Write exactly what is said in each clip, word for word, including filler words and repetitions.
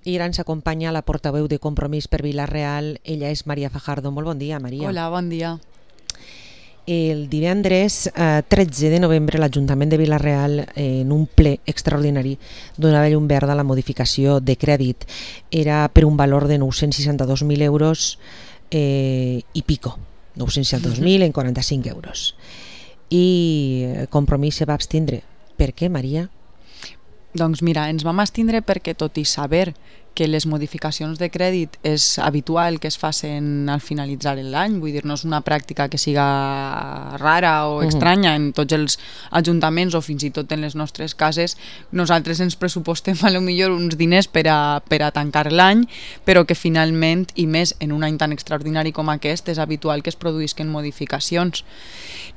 I ara ens acompanya la portaveu de Compromís per Vila-real. Ella és Maria Fajardo. Molt bon dia, Maria. Hola, bon dia. El divendres eh, tretze de novembre l'Ajuntament de Vila-real, eh, en un ple extraordinari, donava llum verda a la modificació de crèdit. Era per un valor de nou-cents seixanta-dos mil euros eh, i pico. nou-cents seixanta-dos mil en quaranta-cinc euros. I Compromís se va abstindre. Per què, Maria? Doncs mira, ens vam abstindre perquè tot i saber que les modificacions de crèdit és habitual que es facin al finalitzar l'any, vull dir, no és una pràctica que siga rara o estranya en tots els ajuntaments o fins i tot en les nostres cases. Nosaltres ens pressupostem a lo millor uns diners per a, per a tancar l'any, però que finalment, i més en un any tan extraordinari com aquest, és habitual que es produïsquen modificacions.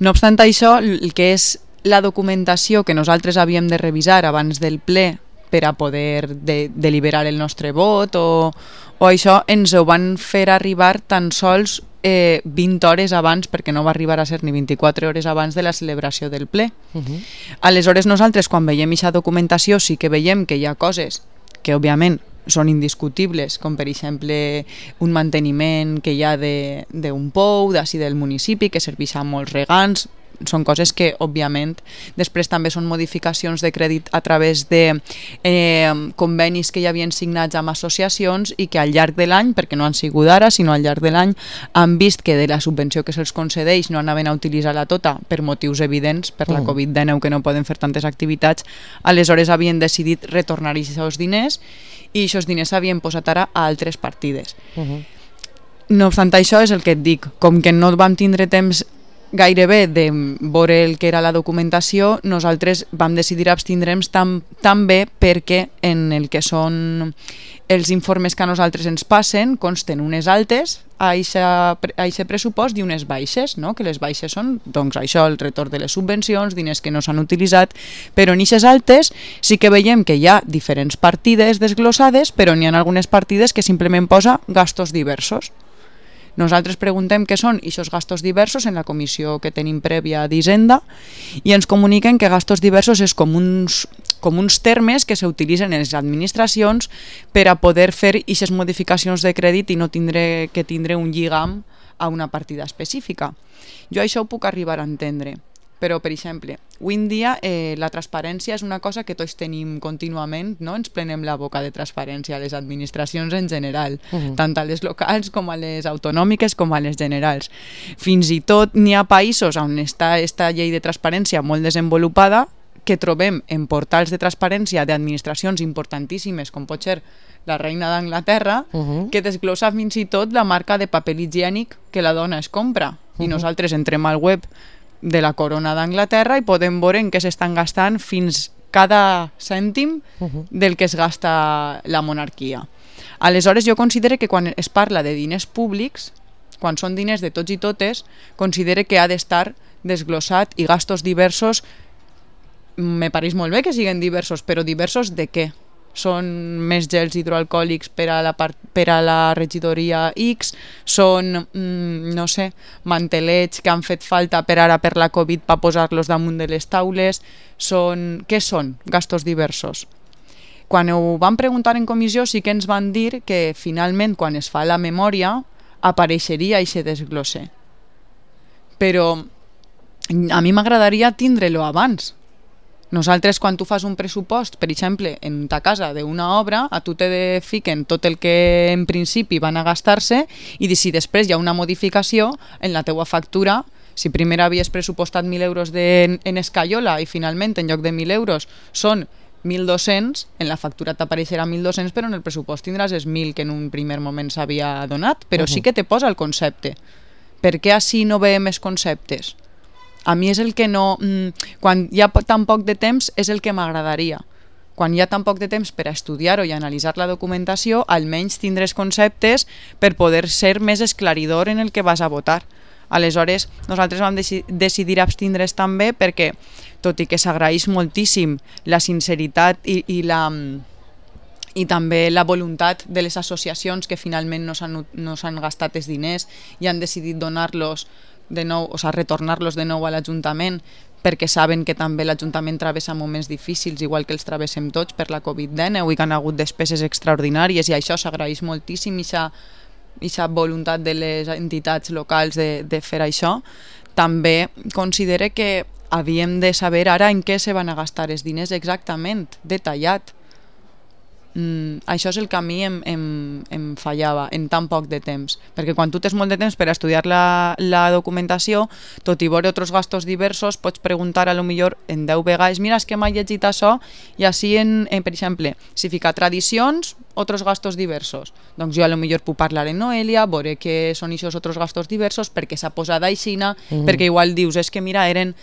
No obstant això, el que és la documentació que nosaltres havíem de revisar abans del ple per a poder de, deliberar el nostre vot o, o això ens ho van fer arribar tan sols eh, vint hores abans, perquè no va arribar a ser ni vint-i-quatre hores abans de la celebració del ple. Uh-huh. Aleshores nosaltres quan veiem aquesta documentació sí que veiem que hi ha coses que òbviament són indiscutibles, com per exemple un manteniment que hi ha d'un pou d'ací del municipi que serveix a molts regants. Són coses que, òbviament, després també són modificacions de crèdit a través de eh, convenis que ja havien signats amb associacions i que al llarg de l'any, perquè no han sigut ara, sinó al llarg de l'any, han vist que de la subvenció que se'ls concedeix no anaven a utilitzar-la tota per motius evidents, per la covid dinou que no poden fer tantes activitats, aleshores havien decidit retornar aquests diners i aquests diners s'havien posat ara a altres partides. Uh-huh. No obstant això, és el que et dic, com que no vam tindre temps gairebé de veure el que era la documentació, nosaltres vam decidir abstindre'ns tam, també perquè en el que són els informes que a nosaltres ens passen consten unes altes a aquest pressupost i unes baixes, no? Que les baixes són doncs això, el retorn de les subvencions, diners que no s'han utilitzat, però en aquestes altes sí que veiem que hi ha diferents partides desglossades, però n'hi ha algunes partides que simplement posa gastos diversos. Nosaltres preguntem què són aquests gastos diversos en la comissió que tenim prèvia d'Hisenda i ens comuniquen que gastos diversos és com uns, com uns termes que s'utilitzen en les administracions per a poder fer aquestes modificacions de crèdit i no tindre que tindre un lligam a una partida específica. Jo això ho puc arribar a entendre, però, per exemple, avui en dia eh, la transparència és una cosa que tots tenim contínuament, no? Ens plenem la boca de transparència a les administracions en general, uh-huh. tant a les locals com a les autonòmiques com a les generals. Fins i tot n'hi ha països on està aquesta llei de transparència molt desenvolupada que trobem en portals de transparència d'administracions importantíssimes, com pot ser la reina d'Anglaterra, uh-huh. que desglossa fins i tot la marca de paper higiènic que la dona es compra. Uh-huh. I nosaltres entrem al web de la corona d'Anglaterra i podem veure en què s'estan gastant fins cada cèntim uh-huh. del que es gasta la monarquia. Aleshores jo considero que quan es parla de diners públics, quan són diners de tots i totes, considero que ha d'estar desglossat i gastos diversos, me pareix molt bé que siguin diversos, però diversos de què? Són més gels hidroalcohòlics per a la, part, per a la regidoria X, són, mm, no sé, mantelets que han fet falta per ara per la Covid per posar-los damunt de les taules, són... Què són gastos diversos? Quan ho vam preguntar en comissió sí que ens van dir que finalment quan es fa la memòria apareixeria aquest desglosse. Però a mi m'agradaria tindre-lo abans. Nosaltres, quan tu fas un pressupost, per exemple, en ta casa d'una obra, a tu te fiquen tot el que en principi van a gastar-se i si després hi ha una modificació en la teua factura, si primer havies pressupostat mil euros de, en escaiola i finalment en lloc de mil euros són mil dos-cents, en la factura t'apareixerà mil dos-cents, però en el pressupost tindràs els mil que en un primer moment s'havia donat, però uh-huh. sí que te posa el concepte. Per què així no veiem els conceptes? A mi és el que no... Quan hi ha tan poc de temps és el que m'agradaria. Quan hi ha tan poc de temps per a estudiar-ho i analitzar la documentació, almenys tindràs conceptes per poder ser més esclaridor en el que vas a votar. Aleshores, nosaltres vam deci- decidir abstindre's també perquè, tot i que s'agraeix moltíssim la sinceritat i, i la... i també la voluntat de les associacions que finalment no s'han, no s'han gastat els diners i han decidit donar-los de nou, o sigui, retornar-los de nou a l'Ajuntament perquè saben que també l'Ajuntament travessa moments difícils, igual que els travessem tots per la covid dinou i que han hagut despeses extraordinàries, i això s'agraeix moltíssim, aquesta voluntat de les entitats locals de, de fer això. També considere que havíem de saber ara en què se van a gastar els diners exactament, detallat. Mm, això és el que a mi em, em, em fallava en tan poc de temps, perquè quan tu tens molt de temps per estudiar la, la documentació, tot i veure altres gastos diversos, pots preguntar a lo millor en deu vegades, mira, és que m'ha llegit això, i així, en, en, per exemple, si fica tradicions, altres gastos diversos, doncs jo a lo millor puc parlar en Noelia, veure què són aquests altres gastos diversos, perquè s'ha posat aixina, mm-hmm. perquè igual dius, és que mira, eren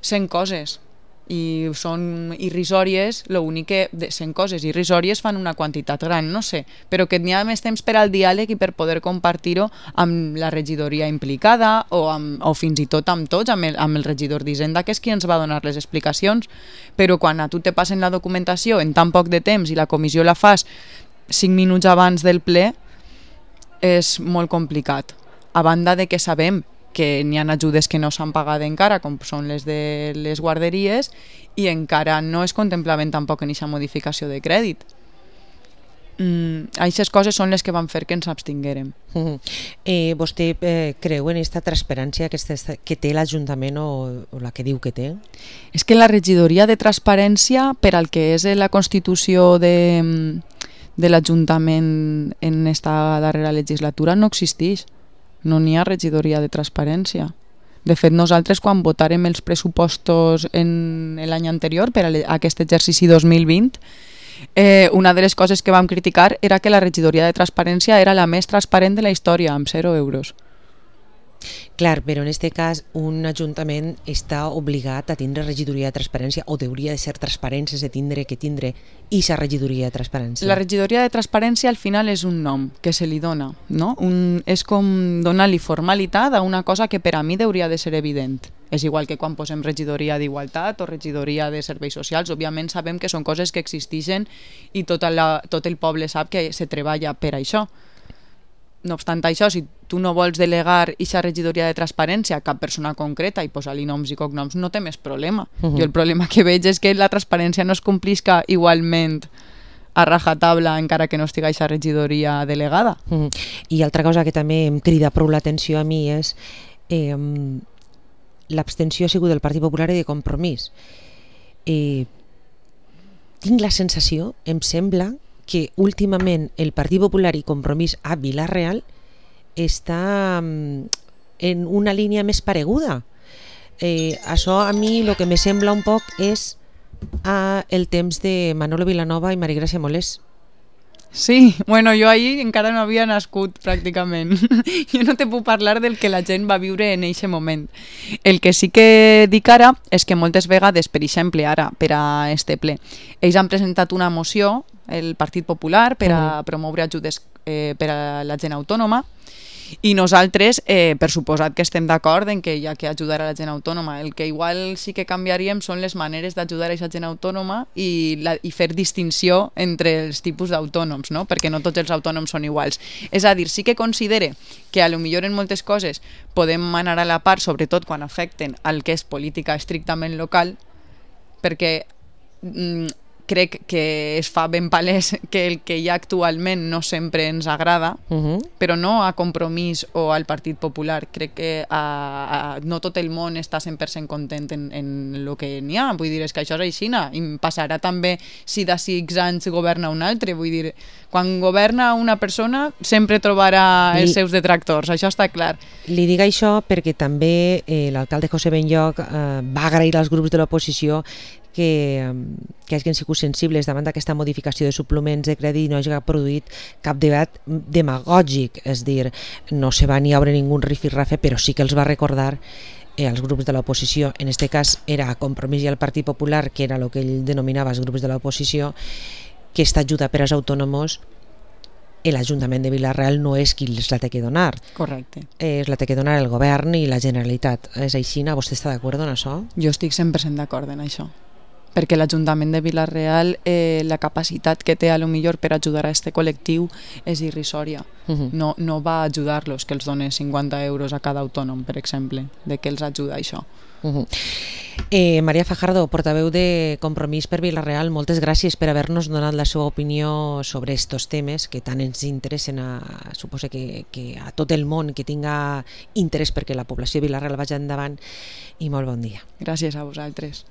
cent coses, i són irrisòries, l'únic que de cent coses irrisòries fan una quantitat gran, no sé, però que n'hi ha més temps per al diàleg i per poder compartir-ho amb la regidoria implicada o, amb, o fins i tot amb tots, amb el, amb el regidor d'Hisenda, que és qui ens va donar les explicacions. Però quan a tu te passen la documentació en tan poc de temps i la comissió la fas cinc minuts abans del ple, és molt complicat, a banda de que sabem que n'hi ha ajudes que no s'han pagat encara, com són les de les guarderies, i encara no es contemplaven tampoc en aquesta modificació de crèdit. Mm, aquestes coses són les que van fer que ens abstinguérem. Mm-hmm. eh, vostè eh, creu en aquesta transparència que, este, que té l'Ajuntament o, o la que diu que té? És que la regidoria de transparència, per al que és la constitució de, de l'Ajuntament en esta darrera legislatura, no existeix. No n'hi ha regidoria de transparència. De fet, nosaltres quan votarem els pressupostos en l'any anterior per a aquest exercici dos mil vint, eh, una de les coses que vam criticar era que la regidoria de transparència era la més transparent de la història, amb zero euros. Clar, però en aquest cas un ajuntament està obligat a tindre regidoria de transparència o hauria de ser transparent sense tindre que tindre aquesta regidoria de transparència. La regidoria de transparència al final és un nom que se li dona, no? Un, és com donar-li formalitat a una cosa que per a mi hauria de ser evident. És igual que quan posem regidoria d'igualtat o regidoria de serveis socials, òbviament sabem que són coses que existeixen i tot, la, tot el poble sap que se treballa per això. No obstant això, si tu no vols delegar aquesta regidoria de transparència a cap persona concreta i posar-li noms i cognoms, no té més problema. Uh-huh. Jo el problema que veig és que la transparència no es complisca igualment a rajatabla encara que no estigui aquesta regidoria delegada. Uh-huh. I altra cosa que també em crida prou l'atenció a mi és eh, l'abstenció ha sigut del Partit Popular i de Compromís. Eh, tinc la sensació, em sembla, que últimament el Partit Popular i Compromís a Vila-real està en una línia més pareguda. Eh, això a mi el que me sembla un poc és a el temps de Manolo Vilanova i Marigràcia Molés. Sí, bueno, jo ahir encara no havia nascut pràcticament. Jo no te puc parlar del que la gent va viure en aquest moment. El que sí que dic ara és que moltes vegades, per exemple ara, per a este ple, ells han presentat una moció, el Partit Popular, per a promoure ajudes eh, per a la gent autònoma, i nosaltres, eh, per suposat que estem d'acord en que hi ha que ajudar a la gent autònoma. El que igual sí que canviaríem són les maneres d'ajudar a aquesta gent autònoma i, la, i fer distinció entre els tipus d'autònoms, no? Perquè no tots els autònoms són iguals. És a dir, sí que considere que a lo millor en moltes coses podem anar a la part, sobretot quan afecten al que és política estrictament local, perquè mm, crec que es fa ben palès que el que hi ha actualment no sempre ens agrada, uh-huh. però no a Compromís o al Partit Popular. Crec que a, a, no tot el món està cent per cent content en, en el que n'hi ha. Vull dir, és que això és així, i passarà també si d'ací X anys governa un altre. Vull dir, quan governa una persona sempre trobarà els li, seus detractors, això està clar. Li dic això perquè també eh, l'alcalde José Benlloch eh, va agrair als grups de l'oposició que, que hagin sigut sensibles davant d'aquesta modificació de suplements de crèdit i no hagi produït cap debat demagògic, és dir, no se va ni obre ningú rifirrafe, però sí que els va recordar eh, als grups de l'oposició, en aquest cas era Compromís i el Partit Popular, que era el que ell denominava els grups de l'oposició, que aquesta ajuda per als autònoms l'Ajuntament de Vila-real no és qui els la té que donar. Correcte. És la té que donar el govern i la Generalitat. És així, vostè està d'acord en això? Jo estic cent per cent d'acord en això. perquè l'Ajuntament de Vila-real eh, la capacitat que té a lo millor per ajudar a este col·lectiu és irrisòria. Uh-huh. No, no va ajudar-los que els doni cinquanta euros a cada autònom, per exemple, de què els ajuda això. Uh-huh. eh, Maria Fajardo, portaveu de Compromís per Vila-real, moltes gràcies per haver-nos donat la seva opinió sobre estos temes que tant ens interessen a, suposo que, que a tot el món que tinga interès perquè la població de Vila-real vagi endavant, i molt bon dia. Gràcies a vosaltres.